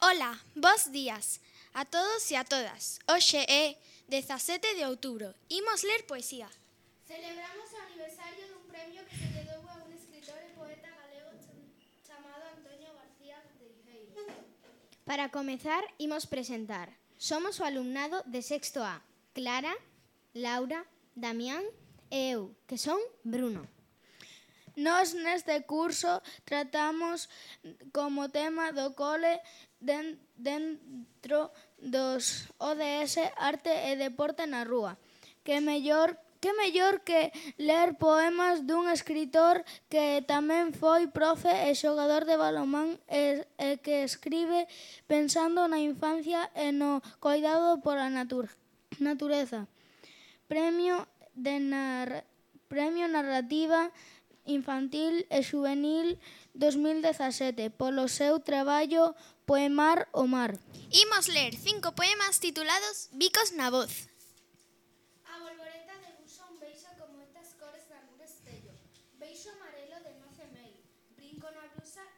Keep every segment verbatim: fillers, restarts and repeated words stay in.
Ola, bos días a todos e a todas. Hoxe é dezasete de outubro. Imos ler poesía. Celebramos o aniversario dun premio que se lle dou a un escritor e poeta galego chamado Antonio García Teijeiro. Para comezar, imos presentar. Somos o alumnado de sexto A. Clara, Laura, Damián e eu, que son Bruno. Nós neste curso tratamos como tema do cole den, dentro dos O D S Arte e Deporte na Rúa. Que mellor, que mellor que ler poemas dun escritor que tamén foi profe e xogador de balonmán e, e que escribe pensando na infancia e no coidado pola natur, natureza. Premio de nar, Premio Narrativa Infantil e Xuvenil dos mil dezasete polo seu traballo Poemar o Mar. Imos ler cinco poemas titulados Bicos na voz. A bolboreta debuxa un beixo con moitas cores na nun estello. Beixo amarelo de noce mel. Brinco na blusa,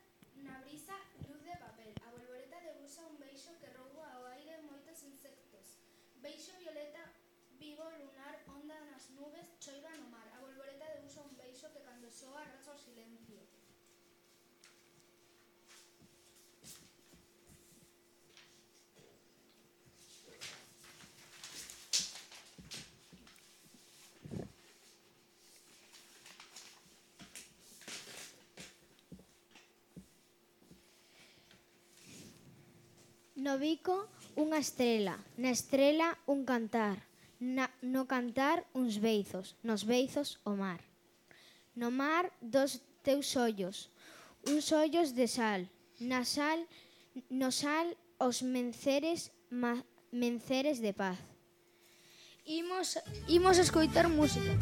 na brisa, luz de papel. A bolboreta debuxa un beixo que rouba ao aire moitos insectos. Beixo violeta, vivo lunar, onda nas nubes, choiva no mar. A bolboreta debuxa un beixo que cando soa racha o silencio. No bico, unha estrela. Na estrela, un cantar. Na, no cantar, uns beizos. Nos beizos, o mar. No mar, dos teus ollos. Uns ollos de sal. Na sal, no sal, os menceres, ma, menceres de paz. Imos, imos escoitar música.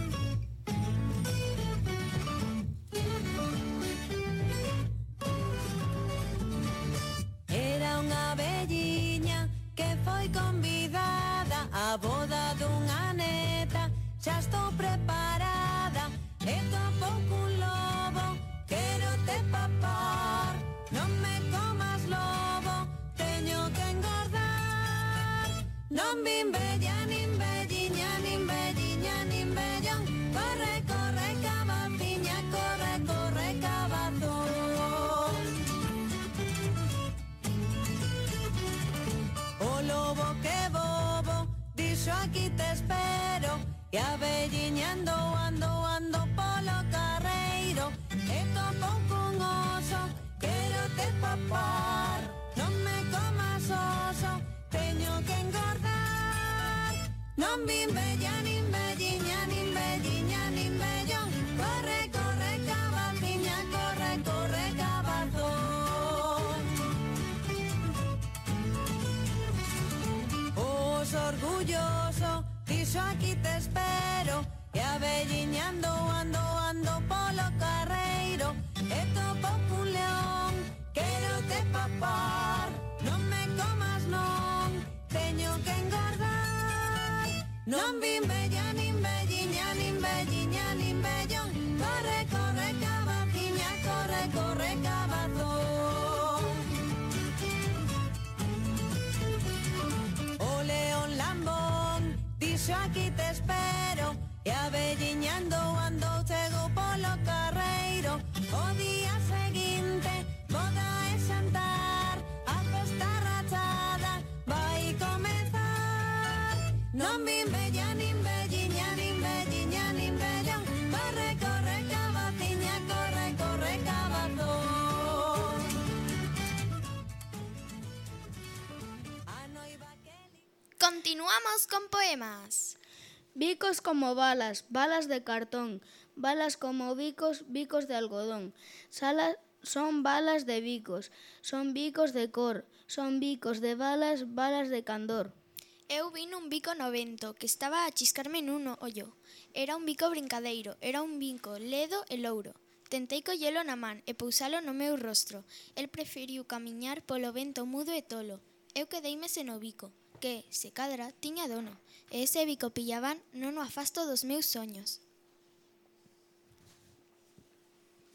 Era unha velliña que foi convidada á boda dunha neta. Xa estou preparada e tampouco un lobo. Quero te papar, non me comas lobo. Teño que engordar. Non vin bella, nin velliña, nin velliña, nin vellón. Corre, corre, cabaciña, corre, corre, cabazón. O lobo que bobo, dixo aquí te espero. E a velliña ando, ando, ando polo carreiro. E tampouco un oso, quero te papar. Non me comas oso, teño que engordar. Non vin bella, nin velliña, nin velliña, nin vellón. Corre, corre, cabaciña, corre, corre, cabazón. Os orgulloso, dixo aquí te espero. E a velliña ando, ando, ando polo carreiro. E tampouco un león, quero te papar. Non me comas non, teño que engordar. Non vin bella, nin velliña, nin velliña, nin vellón. Corre, corre, cabaciña, corre, corre, cabazón. O león lambón, dixo aquí te espero. E a velliña ando, ando, chego polo carreiro. O día seguinte, boda e xantar. A festa rachada vai comezar. Non vin bella, nin velliña, nin velliña, nin vellón. Corre, corre, cabaciña, corre, corre, cabazón. A noiva que li... Continuamos con poemas. Bicos como balas, balas de cartón. Balas como bicos, bicos de algodón. Salas, son balas de bicos, son bicos de cor. Son bicos de balas, balas de candor. Eu vin un bico no vento que estaba a chiscarme nun ollo. Era un bico brincadeiro, era un bico ledo e louro. Tentei collelo na man e pousalo no meu rostro. El preferiu camiñar polo vento mudo e tolo. Eu quedeime sen o bico, que, se cadra, tiña dono. E ese bico pillaban non o afasto dos meus soños.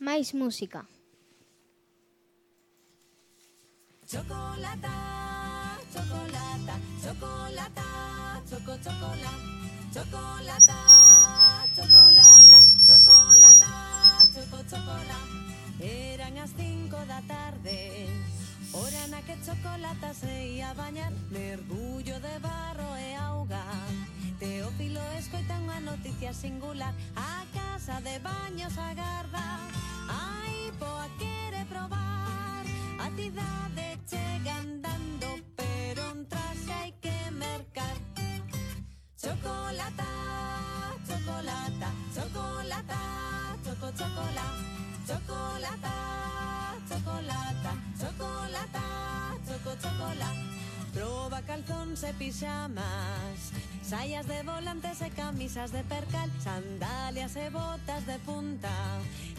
Máis música. Chocolata, chocolata, chocolata, choco, chocolata, chocolata, chocolata, chocolata, choco, chocolata. Eran as cinco da tarde, hora na que Chocolata se ia bañar, mergullo de barro e auga. Teófilo escoita unha noticia singular, a casa de baños agarda. Ai, poa quere probar, a cidade chega andando, pero un traxe hai que mercar. Chocolata, chocolata, chocolata, choco, chocolata, chocolata, chocolata, chocolata, choco, chocolata. Proba calzóns e pijamas, saias de volantes e camisas de percal, sandalias e botas de punta,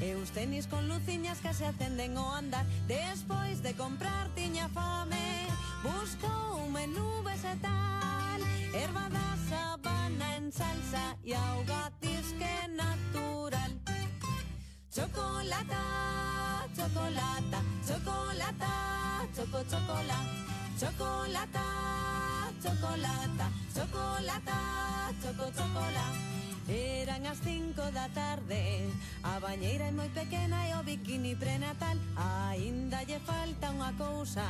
e uns tenis con luciñas que se acenden ao andar. Despois de comprar tiña fame, buscou un menú vegetal, erva da sabana en salsa e auga disque natural. Chocolata, chocolata, chocolata, choco, chocolata. Chocolata, chocolata, chocolata, choco, chocolata. Eran as cinco da tarde, a bañeira é moi pequena e o bikini prenatal. Aínda lle falta unha cousa,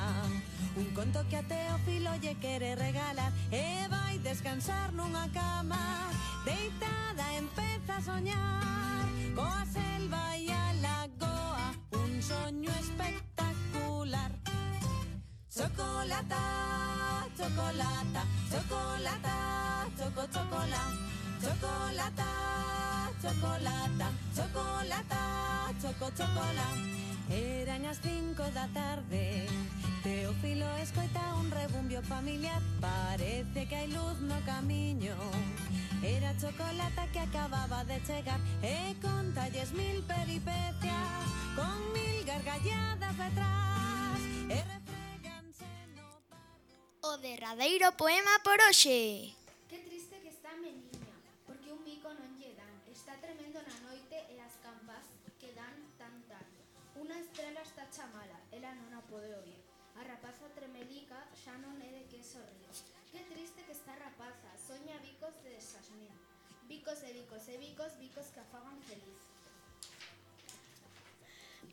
un conto que a Teófilo lle quere regalar, e vai descansar nunha cama, deitada empeza a soñar, coa selva e a lagoa, un soño espectacular. Chocolata, chocolata, chocolata, choco, chocolata, chocolata, chocolata, chocolata, choco, chocolata. Eran as cinco da tarde, Teófilo escoita un rebumbio familiar, parece que hai luz no camiño. Era Chocolata que acababa de chegar e contalles mil peripecias, con mil gargalladas detrás, e o derradeiro poema por hoxe. Que triste que está a meniña, porque un bico non lle dan. Está tremendo na noite e as campás que dan tan tarde. Unha estrela está chamala, ela non a pode oír. A rapaza tremelica xa non é de que sorrir. Que triste que está a rapaza, soña bicos de xasmín. Bicos e bicos e bicos, bicos que a fagan feliz.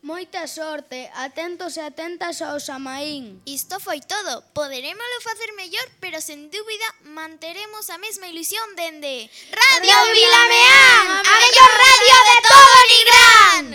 Moita sorte, atentos e atentas ao Samaín. Isto foi todo. Poderémolo facer mellor, pero sen dúbida manteremos a mesma ilusión dende Radio Vilameán, a mellor radio de todo Nigrán.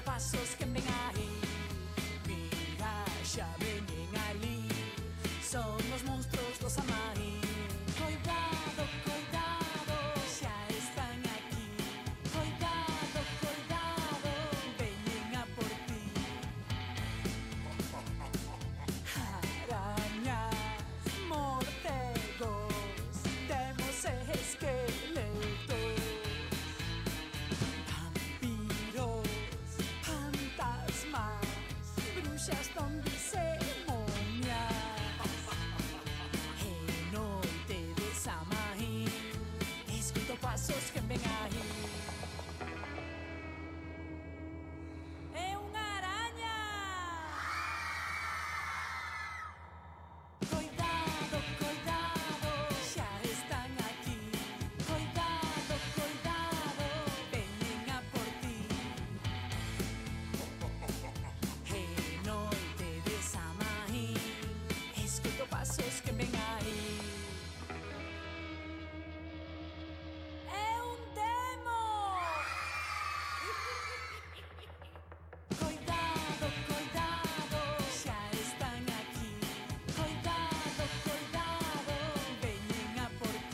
Pasos que ven aí, mira, xa veñen ali, son os monstruos do Samaín. Coidado, coidado, xa están aquí. Coidado, coidado, veñen a por ti. Arañas, morcegos, temos esqueletos, bruxas donde se momia. E noite de Samaín, escuto pasos que ven aí.